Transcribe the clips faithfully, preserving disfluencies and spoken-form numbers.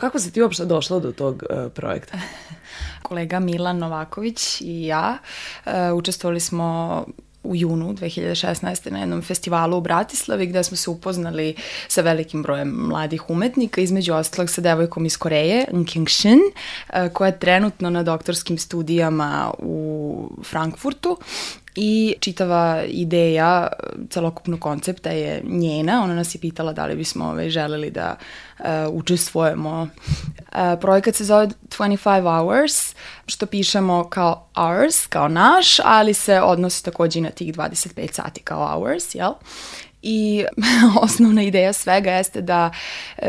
Kako si ti uopšte došla do tog uh, projekta? Kolega Milan Novaković i ja uh, učestvovali smo u junu dve hiljade šesnaeste. na jednom festivalu u Bratislavi gde smo se upoznali sa velikim brojem mladih umetnika, između ostalog sa devojkom iz Koreje, Nking Shin, koja je trenutno na doktorskim studijama u Frankfurtu. I čitava ideja celokupnog koncepta je njena. Ona nas je pitala da li bismo ovaj, želeli da uh, učestvujemo. Uh, projekat se zove twenty-five hours, što pišemo kao hours, kao naš, ali se odnosi takođe i na tih dvadeset pet sati kao hours, jel? I osnovna ideja svega jeste da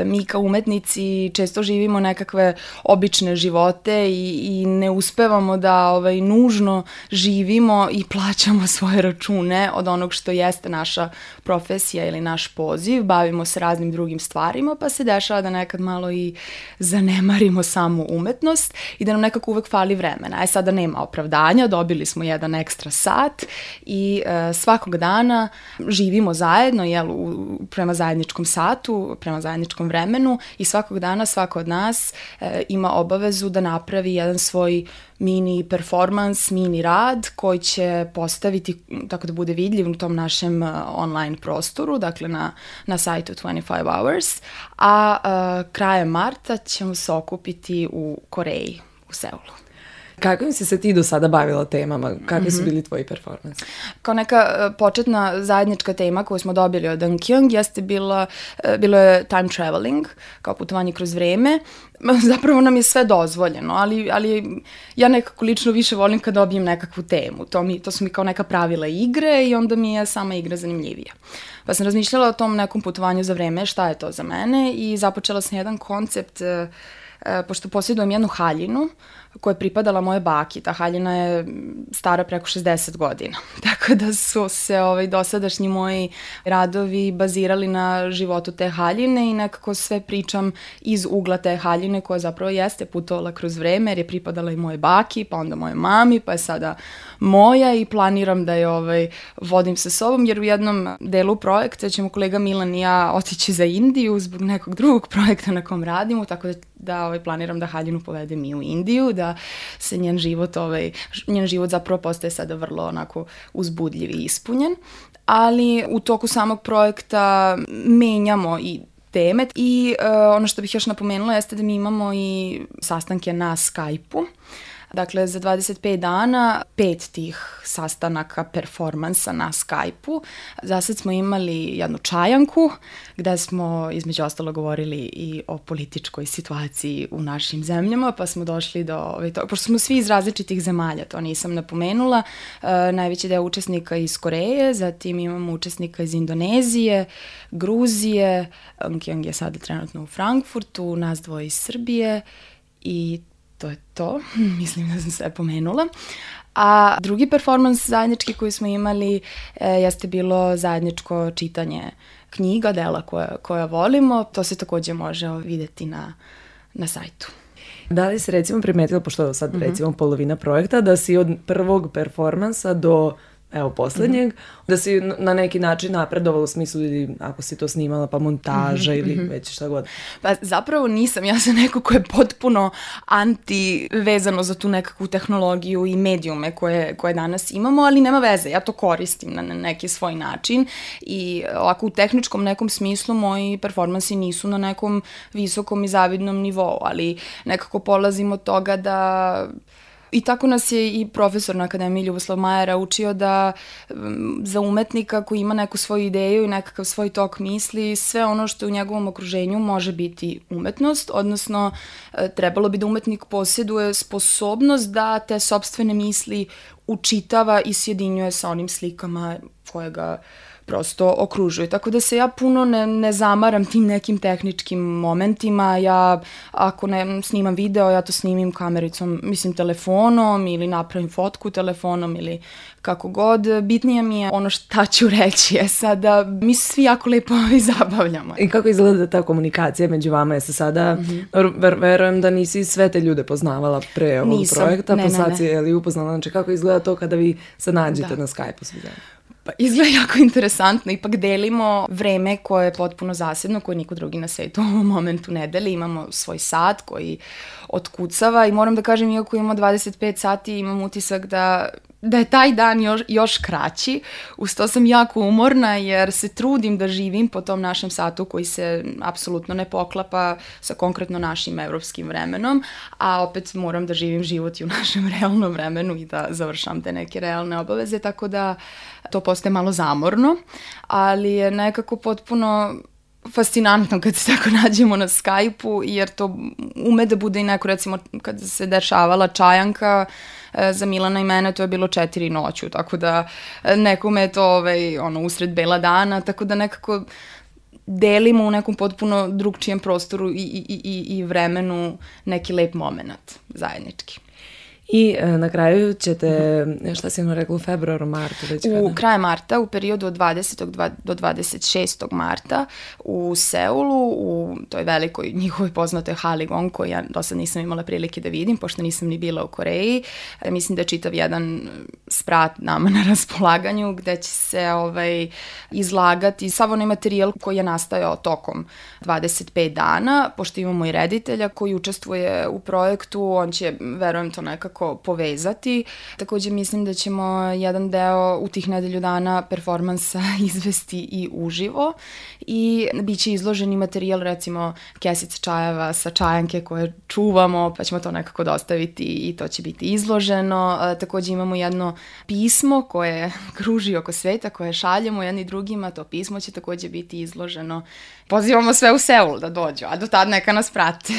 mi kao umetnici često živimo nekakve obične živote i, i ne uspevamo da ovaj, nužno živimo i plaćamo svoje račune od onog što jeste naša profesija ili naš poziv. Bavimo se raznim drugim stvarima, pa se dešava da nekad malo i zanemarimo samu umetnost i da nam nekako uvek fali vremena. E sada nema opravdanja, dobili smo jedan ekstra sat i e, svakog dana živimo zajedno zajedno, jel, u, prema zajedničkom satu, prema zajedničkom vremenu i svakog dana svako od nas e, ima obavezu da napravi jedan svoj mini performans, mini rad koji će postaviti tako da bude vidljiv u tom našem uh, online prostoru, dakle na, na sajtu twenty-five hours, a uh, krajem marta ćemo se okupiti u Koreji, u Seulu. Kakvim si se ti do sada bavila temama? Kakvi su bili tvoji performansi? Kao neka početna zajednička tema koju smo dobili od Nkyung jeste bila, bilo je time traveling, kao putovanje kroz vreme. Zapravo nam je sve dozvoljeno, ali, ali ja nekako lično više volim kad dobijem nekakvu temu. To, mi, to su mi kao neka pravila igre i onda mi je sama igra zanimljivija. Pa sam razmišljala o tom nekom putovanju za vreme, šta je to za mene i započela sam jedan koncept, e, e, pošto posjedujem jednu haljinu koja je pripadala moje baki. Ta haljina je stara preko šezdeset godina. Tako da su se ovaj, dosadašnji moji radovi bazirali na životu te haljine i nekako sve pričam iz ugla te haljine koja zapravo jeste putovala kroz vreme jer je pripadala i moje baki, pa onda moje mami, pa je sada moja i planiram da je ovaj, vodim sa sobom jer u jednom delu projekta ćemo kolega Milan i ja otići za Indiju zbog nekog drugog projekta na kom radimo, tako da, da ovaj, planiram da haljinu povedem i u Indiju, da se njen život, ovaj, njen život zapravo postaje sada vrlo onako uzbudljiv i ispunjen, ali u toku samog projekta menjamo i teme i uh, ono što bih još napomenula jeste da mi imamo i sastanke na Skype-u. Dakle, za dvadeset pet dana, pet tih sastanaka, performansa na Skype-u. Zasad smo imali jednu čajanku gde smo između ostalo govorili i o političkoj situaciji u našim zemljama, pa smo došli do ovaj, to, pošto smo svi iz različitih zemalja, to nisam napomenula, uh, najveći deo učesnika iz Koreje, zatim imamo učesnika iz Indonezije, Gruzije, Nkyung je sada trenutno u Frankfurtu, nas dvoje iz Srbije i to je to, mislim da sam sve pomenula. A drugi performans zajednički koji smo imali e, jeste bilo zajedničko čitanje knjiga, dela koja, koja volimo. To se takođe može videti na, na sajtu. Da li si recimo primetila, pošto je sad mm-hmm. recimo polovina projekta, da si od prvog performansa do evo poslednjeg, mm-hmm. da si na neki način napredovala u smislu ili ako si to snimala pa montaža mm-hmm. ili već šta god? Pa zapravo nisam, ja sam neko ko je potpuno anti vezano za tu nekakvu tehnologiju i medijume koje, koje danas imamo, ali nema veze, ja to koristim na neki svoj način i ovako u tehničkom nekom smislu moji performansi nisu na nekom visokom i zavidnom nivou, ali nekako polazim od toga da i tako nas je i profesor na Akademiji Ljuboslav Majera učio da za umetnika koji ima neku svoju ideju i nekakav svoj tok misli, sve ono što je u njegovom okruženju može biti umetnost, odnosno trebalo bi da umetnik posjeduje sposobnost da te sopstvene misli učitava i sjedinjuje sa onim slikama koje ga prosto okružuju. Tako da se ja puno ne, ne zamaram tim nekim tehničkim momentima. Ja ako ne snimam video, ja to snimim kamericom, mislim telefonom ili napravim fotku telefonom ili kako god. Bitnije mi je ono šta ću reći je sada, mi se svi jako lepo i zabavljamo. I kako izgleda ta komunikacija među vama? Je se sada, mm-hmm. ver, verujem da nisi sve te ljude poznavala pre ovog Nisam. projekta, ne, pa ne, sad ne. si je li upoznala, znači kako izgleda to kada vi se nađete da. na Skype-u svi zajedno? Pa izgleda jako interesantno, ipak delimo vreme koje je potpuno zasebno, koje niko drugi na svetu u ovom momentu ne deli, imamo svoj sat koji otkucava i moram da kažem, iako imamo dvadeset pet sati, imam utisak da da je taj dan još, još kraći. Uz to sam jako umorna jer se trudim da živim po tom našem satu koji se apsolutno ne poklapa sa konkretno našim evropskim vremenom, a opet moram da živim život i u našem realnom vremenu i da završam te neke realne obaveze, tako da to postaje malo zamorno, ali je nekako potpuno fascinantno kad se tako nađemo na Skype-u, jer to ume da bude i neko, recimo, kad se dešavala Čajanka, za Milana i mene to je bilo četiri noću, tako da nekome je to ovaj, ono, usred bela dana, tako da nekako delimo u nekom potpuno drugčijem prostoru i, i, i, i vremenu neki lep moment zajednički. I e, na kraju ćete, šta si ono rekla, u februaru, martu? Već kada? U kraju marta, u periodu od dvadesetog do dvadeset šestog marta u Seulu, u toj velikoj njihovoj poznatoj hali Gong, koju ja do sad nisam imala prilike da vidim, pošto nisam ni bila u Koreji. E, mislim da je čitav jedan sprat nama na raspolaganju, gde će se ovaj, izlagati sav onaj materijal koji je nastajao tokom dvadeset pet dana, pošto imamo i reditelja koji učestvuje u projektu, on će, verujem to nekako, povezati. Takođe mislim da ćemo jedan deo u tih nedelju dana performansa izvesti i uživo i bit će izloženi materijal, recimo kesica čajeva sa Čajanke koje čuvamo, pa ćemo to nekako dostaviti i to će biti izloženo. Takođe imamo jedno pismo koje kruži oko sveta, koje šaljemo jedni drugima, to pismo će takođe biti izloženo. Pozivamo sve u Seul da dođu, a do tad neka nas prate.